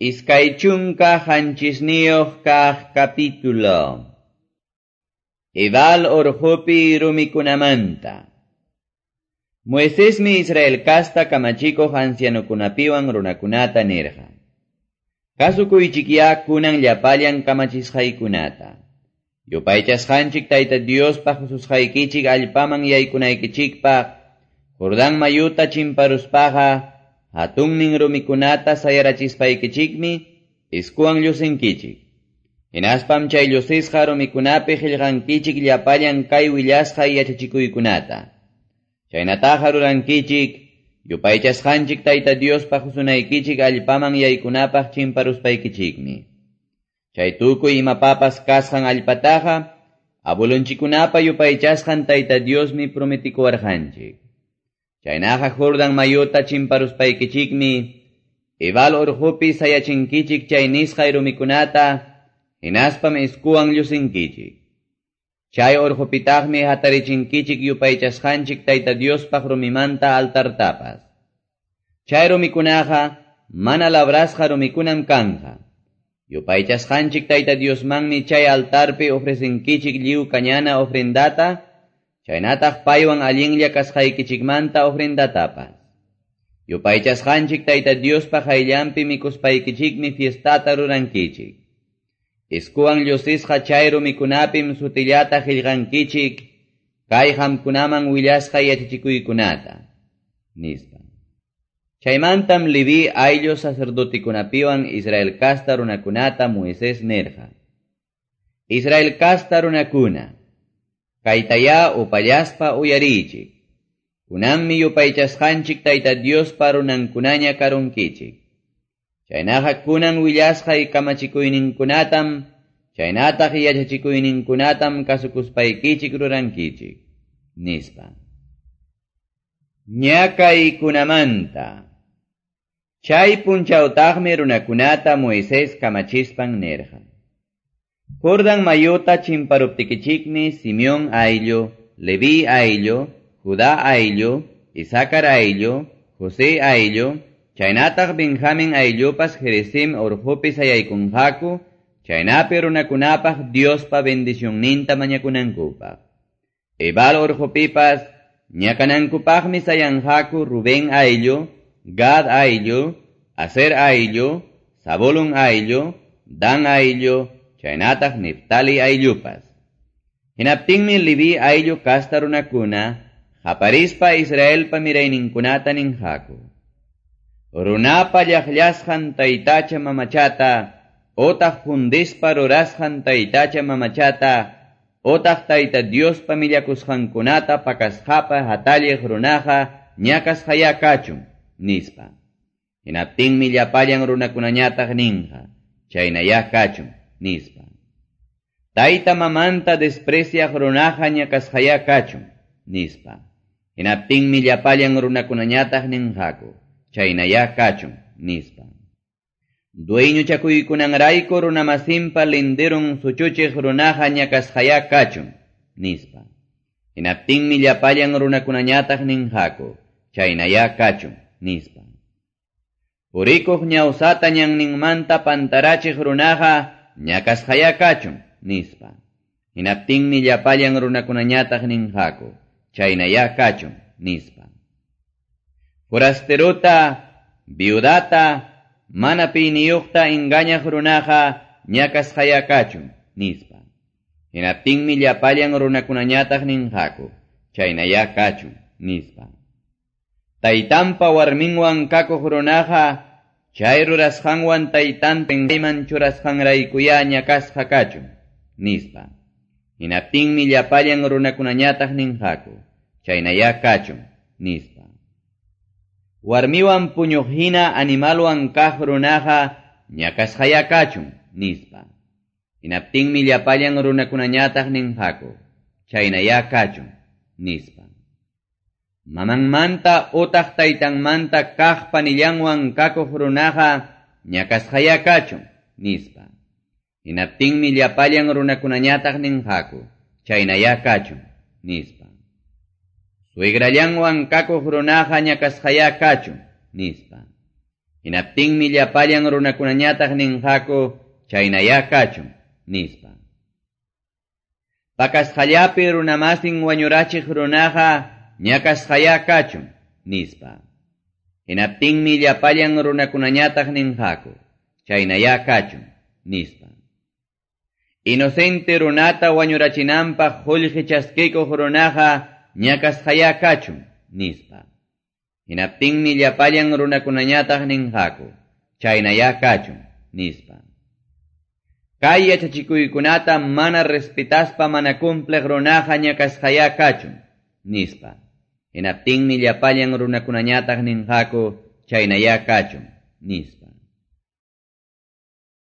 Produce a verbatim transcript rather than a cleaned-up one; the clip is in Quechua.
Iskay chunka qanchisniyuq kaq capítulo. Ebal orqopi rumikunamanta. Moisesmi Israel kasta kamachikuq ancianokunapiwan runakunata nirqa. Kasukuychikya kunan llapallan kamachisqaykunata. Yupaychasqanchik Tayta Diospaq hususqaykichik allpaman yaykunaykichikpaq, Jordán mayuta chimparuspaqa, hatunnin rumikunata sayarachispaykichikmi iskuwan llusinkichik. Hinaspam chay llusisqa rumikunapi qillqankichik llapallan kay willasqa yachachikuykunata. Chaynataqa rurankichik, yupaychasqanchik Tayta Diospaq husunaykichik allpaman yaykunapaq chimparuspaykichikmi. Chay tukuy imapapas kasqan allpataqa, abuelonchikkunapa yupaychasqan Tayta Diosmi prometikuwarqanchik. Chaynaqa Jordan mayuta chimparuspaykichikmi, Ebal orqopi sayachinkichik chay nisqay rumikunata, hinaspam iskuwan llusinkichik. Chay orqopitaqmi hatarichinkichik yupaychasqanchik Tayta Diospaq rumimanta altartapas. Chay rumikunaqa mana labrasqa rumikunam kanqa. Yupaychasqanchik Tayta Diosmanmi chay altarpi ofrecinkichik lliw kañana ofrendata, chaynataq paywan allinlla kasqaykichikmanta ofrendatapas. Yupaychasqanchik Tayta Diospaq hayllanpi mikuspaykichikmi fiestata rurankichik. Iskuwan llusisqa chay rumikunapim sutillata qillqankichik, kay qamkunaman willasqa yachachikuykunata, nispa. Chaymantam Leví ayllu sacerdotikunapiwan Israel kasta runakunata Moisés nirqa. Israel kasta runakuna, kaytayá upallaspa uyariychik. Kunanmi yupaychasqanchik Tayta Diospa runankunaña karunkichik. Chaynaqa kunan willasqay kamachikuyninkunatam, chaynataq yachachikuyninkunatam kasukuspaykichik rurankichik, nispa. Ñakaykunamanta. Chay punchawtaqmi runakunata Moisés kamachispan nirqa. Jordan mayuta chimparuptikichikmi Simeón ayllu, Leví ayllu, Judá ayllu, Isacar ayllu, José ayllu, chaynataq Benjamín ayllupas Gerizim orqopi sayaykunqaku, chaynapi runakunapaq Diospa bendicionninta mañakunankupaq. Ebal orqopipas ñakanankupaqmi sayanqaku Rubén ayllu, Gad ayllu, Aser ayllu, Zabulón ayllu, Dan ayllu, chaynataq Neftali ayllupas. Hinaptinmi Leví ayllu kasta runakuna, qaparispa Israelpa mirayninkunata ninqaku. Runapa llaqllasqan taytacha mamachata, otaq fundispa rurasqan taytacha mamachata, otaq Tayta Diospa millakusqankunata pakasqapa hatalliq runaqa ñakasqaya kachun, nispa. Hinaptinmi llapallan runakunañataq ninqa, chaynayá kachun, nispa. Tayta mamanta despreciaq runaqa ñakasqaya kachun, nispa. Hinaptinmi llapallan runakunañataq ninqaku, chaynayá kachun, nispa. Dueñochakuykunanrayku runamasinpa linderun suchuchiq runaqa ñakasqaya kachun, nispa. Hinaptinmi llapallan runakunañataq ninqaku, chaynayá kachun, nispa. Purikuq ñawsata ñanninmanta pantarachiq runaqa ñakasqaya kachun, nispa. Hinaptinmi llapallan runakunañataq ninqaku, chaynayá kachun, nispa. Forasteruta, viudata, mana piniyuqta engañaq runaqa ñakasqaya kachun, nispa. Hinaptinmi llapallan runakunañataq ninqaku, chaynayá kachun, nispa. Taytanpa warminwan kakuq runaqa, chay rurasqanwan taytanta pinqayman churasqanraykuyá ñakasqa kachun, nispa. Hinaptinmi llapallan runakunañataq ninqaku, chaynayá kachun, nispa. Warmiwan puñuq hina animalwan kaq runaqa ñakasqaya kachun, nispa. Hinaptinmi llapallan runakunañataq ninqaku, chaynayá kachun, nispa. Mamanmanta utaq taytanmanta kaq panillanwan kakuq runaqa ñakasqaya kachun, nispa. Hinaptinmi llapallan runakunañataq ninqaku, chaynayá kachun, nispa. Suegrallanwan kakuq runaqa ñakasqaya kachun, nispa. Hinaptinmi llapallan runakunañataq ninqaku, chaynayá kachun, nispa. Pakasqallapi runamasin wañurachiq runaqa ñakasqayá kachun, nispa. Hinaptinmi llapallan runakunañataq ninqaku, chaynayá kachun, nispa. Inocente runata wañurachinanpaq qullqi chaskikuq runaqa ñakasqayá kachun, nispa. Hinaptinmi llapallan runakunañataq ninqaku, chaynayá kachun, nispa. Kay yachachikuykunata mana respetaspa mana cumpliq runaqa ñakasqayá kachun, nispa. Hinaptinmi llapallan runakunañataq ninqaku, chaynayá kachun, nispa.